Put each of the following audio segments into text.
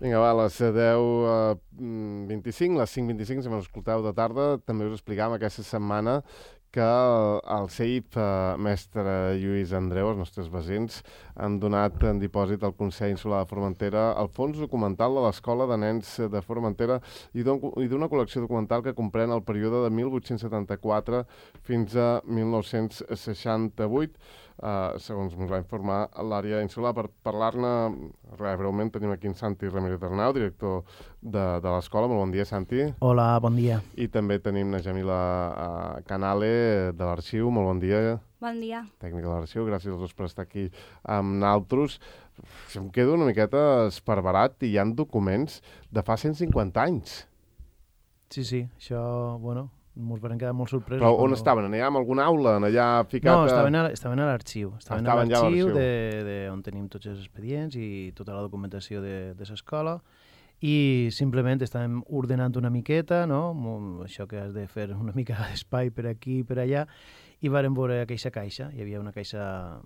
Vinga, va, a les 10:25, les 5:25, si m'escolteu de tarda, també us explicàvem aquesta setmana que el CEIP, mestre Lluís Andreu, els nostres veïns, han donat en dipòsit al Consell Insular de Formentera el fons documental de l'Escola de Nens de Formentera i d'una col·lecció documental que comprèn el període de 1874 fins a 1968, segons ens va informar l'àrea insular. Per parlar-ne breument tenim aquí en Santi Ramírez Arnau, director de l'escola. Molt bon dia, Santi. Hola, bon dia. I també tenim na Jamila Canale, de l'Arxiu. Molt bon dia. Bon dia. Tècnica de l'Arxiu. Gràcies als dos per estar aquí amb nosaltres. Em quedo una miqueta esparverat i hi ha documents de fa 150 anys. Sí, això, bueno, ens van quedar molt sorpresos. Però on estaven? Allà en alguna aula? Allà ficat? No, estaven a l'arxiu. Estaven a l'arxiu on tenim tots els expedients i tota la documentació de l'escola. I simplement estàvem ordenant una miqueta, no? Això que has de fer una mica d'espai per aquí i per allà, i vàrem veure aquesta caixa. Hi havia una caixa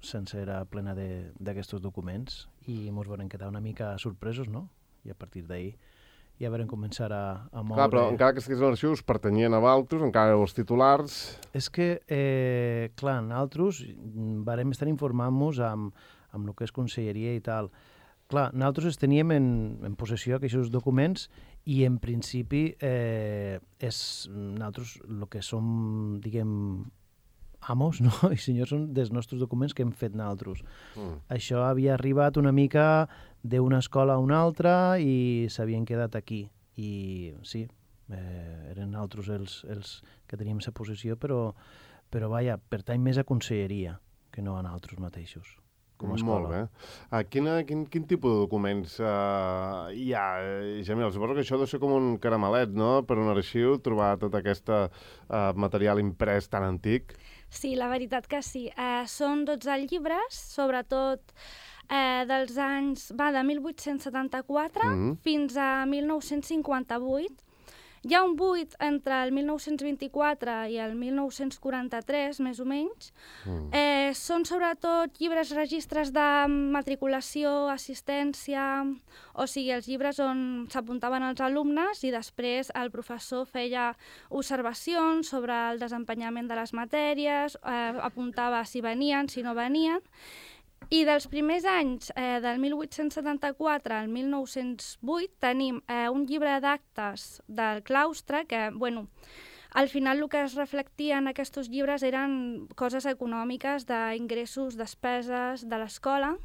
sencera plena d'aquests documents i ens vam quedar una mica sorpresos, no? I a partir d'ahir ja vam començar a moure... Clar, però encara que estigués a l'arxiu us pertanyien a Valtros, encara els titulars... És que, clar, nosaltres vàrem estar informant-nos amb el que és conselleria i tal. Clar, nosaltres teníem en possessió aquests documents i en principi nosaltres el que som, diguem, amos, no? I senyors són dels nostres documents que hem fet nosaltres. Això havia arribat una mica d'una escola a una altra i s'havien quedat aquí. I sí, eren nosaltres els que teníem aquesta possessió, però vaja, pertany més a conselleria que no a nosaltres mateixos. Molt bé. Quin tipus de documents hi ha, Jamil? Suposo que això deu ser com un caramelet, no?, per un arxiu, trobar tot aquest material imprès tan antic. Sí, la veritat que sí. Són 12 llibres, sobretot dels anys de 1874 fins a 1958. Hi ha un buit entre el 1924 i el 1943, més o menys. Són sobretot llibres, registres de matriculació, assistència, o sigui, els llibres on s'apuntaven els alumnes i després el professor feia observacions sobre el desempenyament de les matèries, apuntava si venien, si no venien. I dels primers anys, del 1874 al 1908, tenim un llibre d'actes del claustre que, bueno, al final el que es reflectia en aquests llibres eren coses econòmiques, d'ingressos, despeses de l'escola,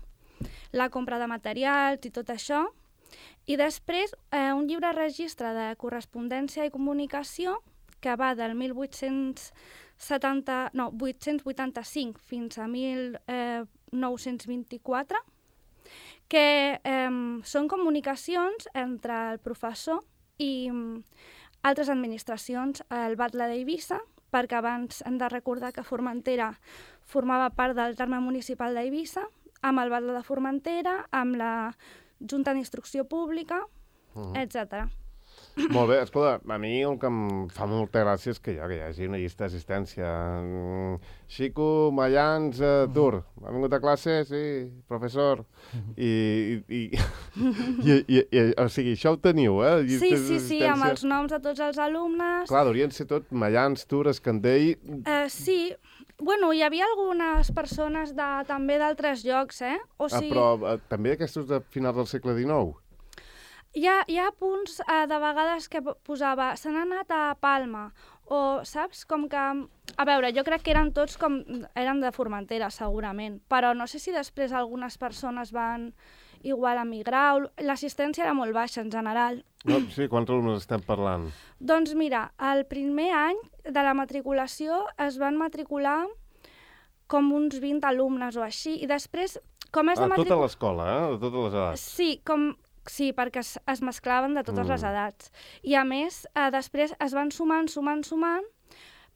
la compra de materials i tot això. I després un llibre registre de correspondència i comunicació que va del 885 fins a 1924, que són comunicacions entre el professor i altres administracions, el Batlle d'Eivissa, perquè abans hem de recordar que Formentera formava part del terme municipal d'Eivissa, amb el Batlle de Formentera, amb la Junta d'Instrucció Pública, etc. Molt bé, escolta, a mi el que em fa molta gràcia és que hi hagi una llista d'assistència. Xico Mayans Tur, ha vingut a classe? Sí, professor. O sigui, això ho teniu, eh? Sí, amb els noms de tots els alumnes. Clar, haurien ser tot Mayans, Tur, Escandell... Sí, bueno, hi havia algunes persones també d'altres llocs, eh? Però també aquests de finals del segle XIX? Hi ha punts de vegades que posava se n'ha anat a Palma, o saps, com que... A veure, jo crec que eren tots com... eren de Formentera, segurament, però no sé si després algunes persones van igual a migrar, l'assistència era molt baixa en general. No, sí, quants alumnes estem parlant? Doncs mira, el primer any de la matriculació es van matricular com uns 20 alumnes o així, i després... Tota l'escola, de totes les edats? Sí, perquè es mesclaven de totes les edats. I a més, després es van sumant,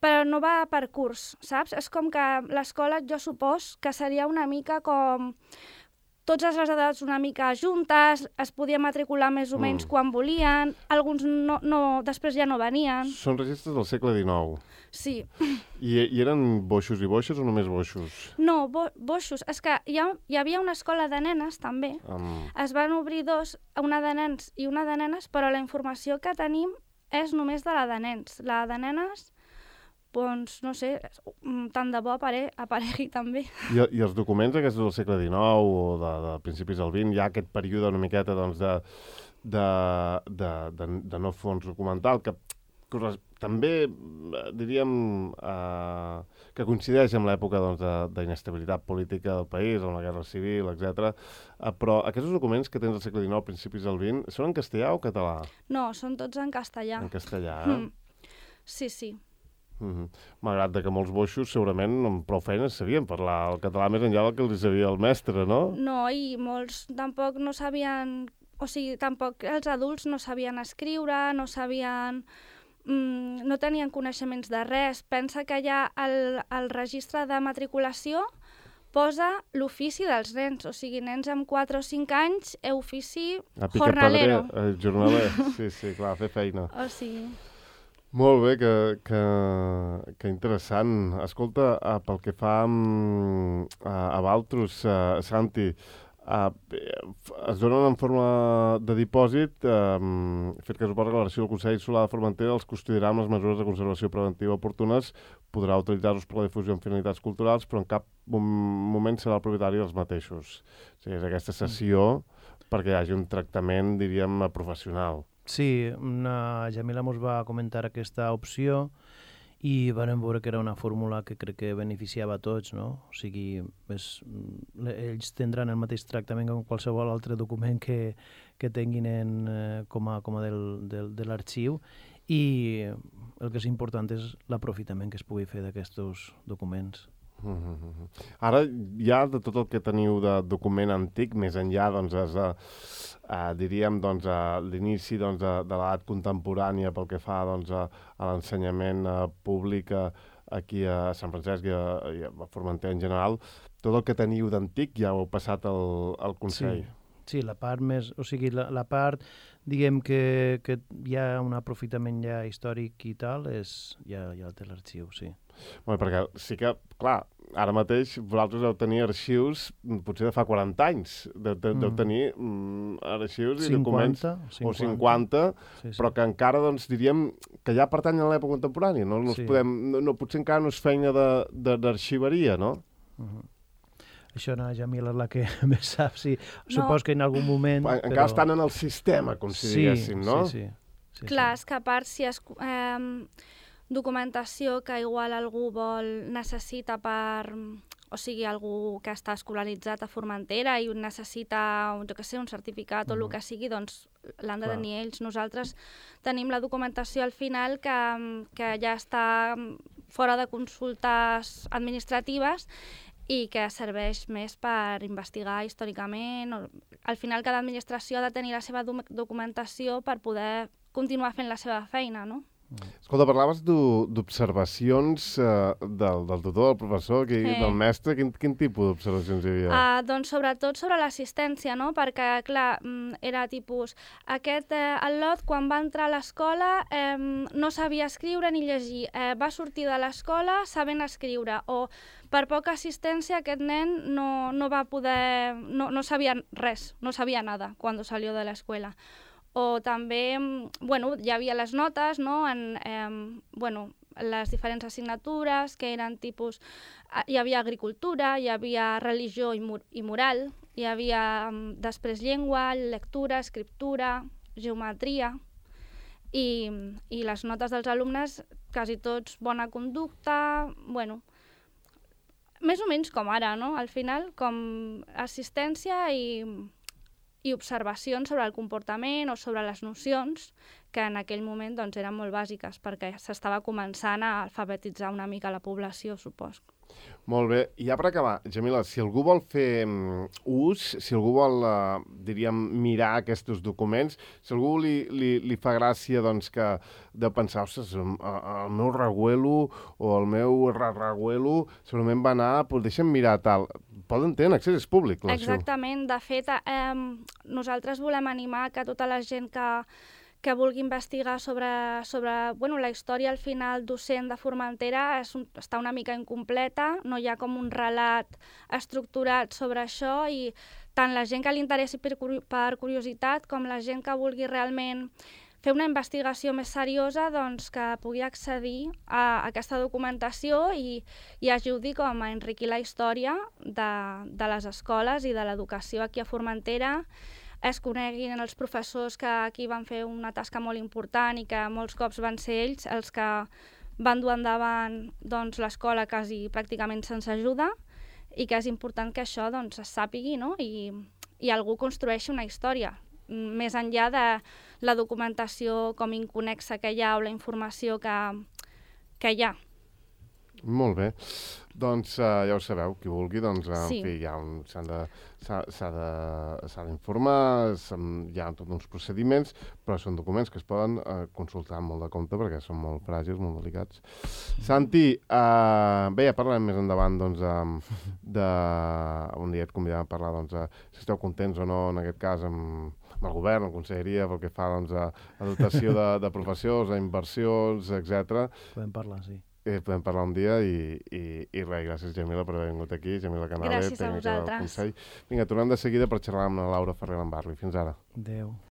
però no va per curs, saps? És com que l'escola, jo supos, que seria una mica com totes les edats una mica juntes, es podia matricular més o menys quan volien, alguns després ja no venien. Són registres del segle XIX. Sí. I eren boixos i boixes o només boixos? No, boixos. És que hi havia una escola de nenes, també. Es van obrir dos, una de nens i una de nenes, però la informació que tenim és només de la de nens. La de nenes, doncs, no sé, tant de bo aparegui també. I els documents aquests del segle XIX o de principis del XX, hi ha aquest període una miqueta doncs, de no fons documental, que també, diríem, que coincideix amb l'època doncs, d'inestabilitat política del país, amb la guerra civil, etc. Però aquests documents que tens del segle XIX, principis del XX, són en castellà o català? No, són tots en castellà. En castellà, Sí, sí. Malgrat que molts boixos segurament amb prou feines sabien parlar el català més enllà del que els sabia el mestre, no? No, i molts tampoc no sabien... O sigui, tampoc els adults no sabien escriure, no sabien... no tenien coneixements de res. Pensa que ja el registre de matriculació posa l'ofici dels nens, o sigui, nens amb 4 o 5 anys, ofici jornalero. Jornaler, sí, clar, fer feina. O sigui... Molt bé, que interessant. Escolta, pel que fa a Valtros, Santi, es donen en forma de dipòsit, fet que suposa que l'Arxiu del Consell Insular de Formentera els custodiarà amb les mesures de conservació preventiva oportunes, podrà utilitzar-los per la difusió en finalitats culturals, però en cap moment serà el propietari dels mateixos. O sigui, és aquesta sessió perquè hi hagi un tractament, diríem, professional. Sí, Jamila mos va comentar aquesta opció i vam veure que era una fórmula que crec que beneficiava a tots, no? O sigui, ells tindran el mateix tractament com qualsevol altre document que tinguin com a de l'arxiu i el que és important és l'aprofitament que es pugui fer d'aquests documents. Ara, ja de tot el que teniu de document antic, més enllà, doncs, diríem, doncs, a l'inici doncs, de l'edat contemporània pel que fa doncs, a l'ensenyament públic aquí a Sant Francesc i a Formentera en general, tot el que teniu d'antic ja ho heu passat al Consell. Sí, la part més... O sigui, la part, diguem, que hi ha un aprofitament ja històric i tal, ja té l'arxiu, sí. Bé, perquè sí que, clar, ara mateix vosaltres heu tenir arxius potser de fa 40 anys. Deu tenir arxius i documents... 50. O 50, sí. Però que encara, doncs, diríem que ja pertanyen a l'època contemporània. No potser encara no és feina d'arxiveria, no? Això no, Jamila és la que més sap, sí. Supos que en algun moment... Encara estan en el sistema, com si diguéssim, no? Sí. Clar, és que a part si és documentació que igual algú necessita per... O sigui, algú que està escolaritzat a Formentera i necessita, jo què sé, un certificat o el que sigui, doncs l'han de tenir ells. Nosaltres tenim la documentació al final que ja està fora de consultes administratives i que serveix més per investigar històricament. Al final, cada administració ha de tenir la seva documentació per poder continuar fent la seva feina, no? Escolta, parlaves d'observacions del tutor, del professor, del mestre. Quin tipus d'observacions hi havia? Doncs sobretot sobre l'assistència, no? Perquè, clar, era tipus... el Lot, quan va entrar a l'escola, no sabia escriure ni llegir. Va sortir de l'escola sabent escriure. O per poca assistència aquest nen no va poder... No sabia res, no sabia nada quan salió de l'escola. O també, hi havia les notes, no? Les diferents assignatures, que eren tipus... Hi havia agricultura, hi havia religió i moral, hi havia després llengua, lectura, escriptura, geometria, i les notes dels alumnes, quasi tots bona conducta, més o menys com ara, no? Al final, com assistència i observacions sobre el comportament o sobre les nocions que en aquell moment doncs, eren molt bàsiques, perquè s'estava començant a alfabetitzar una mica la població, supos. Molt bé. I ja per acabar, Jamila, si algú vol fer ús, si algú vol, diríem, mirar aquests documents, si algú li fa gràcia doncs, que de pensar, ostres, el meu reguelo o el meu reguelo segurament va anar, doncs deixa'm mirar tal. Poden tenir accés, és públic. Exactament. De fet, nosaltres volem animar que tota la gent que vulgui investigar sobre la història al final docent de Formentera està una mica incompleta, no hi ha com un relat estructurat sobre això i tant la gent que li interessi per curiositat com la gent que vulgui realment fer una investigació més seriosa doncs, que pugui accedir a aquesta documentació i ajudi com a enriquir la història de les escoles i de l'educació aquí a Formentera, es coneguin els professors que aquí van fer una tasca molt important i que molts cops van ser ells els que van dur endavant doncs, l'escola quasi pràcticament sense ajuda i que és important que això doncs, es sàpigui, no? I algú construeixi una història, més enllà de la documentació com inconexa que hi ha o la informació que hi ha. Molt bé. Doncs ja ho sabeu, qui vulgui, doncs, sí. En fi, s'ha d'informar, hi ha tots uns procediments, però són documents que es poden consultar amb molt de compte perquè són molt fràgils, molt delicats. Santi, bé, ja parlarem més endavant, doncs, un dia et convidem a parlar, doncs, si esteu contents o no, en aquest cas, amb el govern, la conselleria, pel que fa, doncs, a dotació de professors, a inversions, etc. Podem parlar, sí. Podem parlar un dia i res, gràcies Jamila per haver vingut aquí, Jamila Canale, gràcies a vosaltres. Vinga, tornem de seguida per xerrar amb la Laura Ferrer Lambarri. Fins ara. Adéu.